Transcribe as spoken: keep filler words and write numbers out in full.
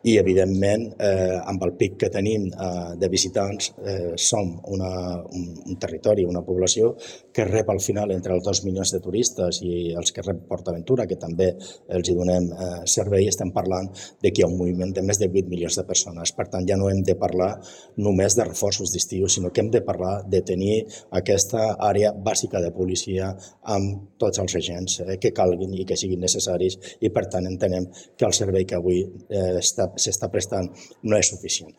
i, evidentment, eh, amb el pic que tenim eh, de visitants, eh, som una, un, un territori, una població que rep al final entre els dos milions de turistes i els que rep PortAventura, que també els hi donem eh, servei, estem parlant de que hi ha un moviment de més de vuit milions de persones. Per tant, ja no hem de parlar només de reforços d'estiu, sinó que hem de parlar de tenir aquesta àrea bàsica de policia amb tots els agents eh, que calguin i que siguin necessaris, i per tant entenem que el servei que avui eh, s'està prestant no és suficient.